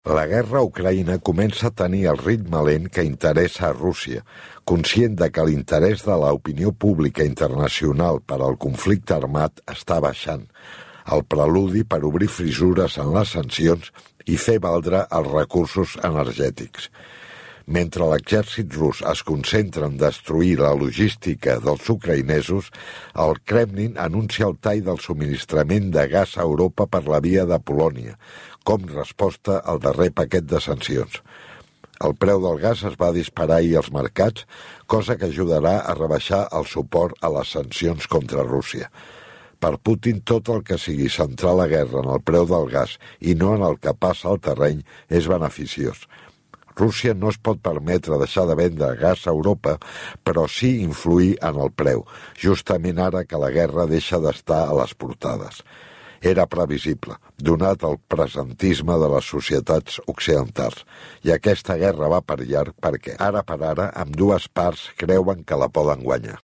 La guerra a Ucraïna comença a tenir el ritme lent que interessa a Rússia, conscient de que l'interès de l'opinió pública internacional per al conflicte armat està baixant, el preludi per obrir fissures en les sancions i fer valdre els recursos energètics. Mentre l'exèrcit rus es concentra en destruir la logística dels ucraïnesos, el Kremlin anuncia el tall del subministrament de gas a Europa per la via de Polònia, com resposta al darrer paquet de sancions. El preu del gas es va disparar ahir als mercats, cosa que ajudarà a rebaixar el suport a les sancions contra Rússia. Per Putin, tot el que sigui centrar la guerra en el preu del gas i no en el que passa al terreny és beneficiós. Rússia no es pot permetre deixar de vendre gas a Europa, però sí influir en el preu, justament ara que la guerra deixa d'estar a les portades. Era previsible, donat el presentisme de les societats occidentals, i aquesta guerra va per llarg perquè, ara per ara, ambdues parts creuen que la poden guanyar.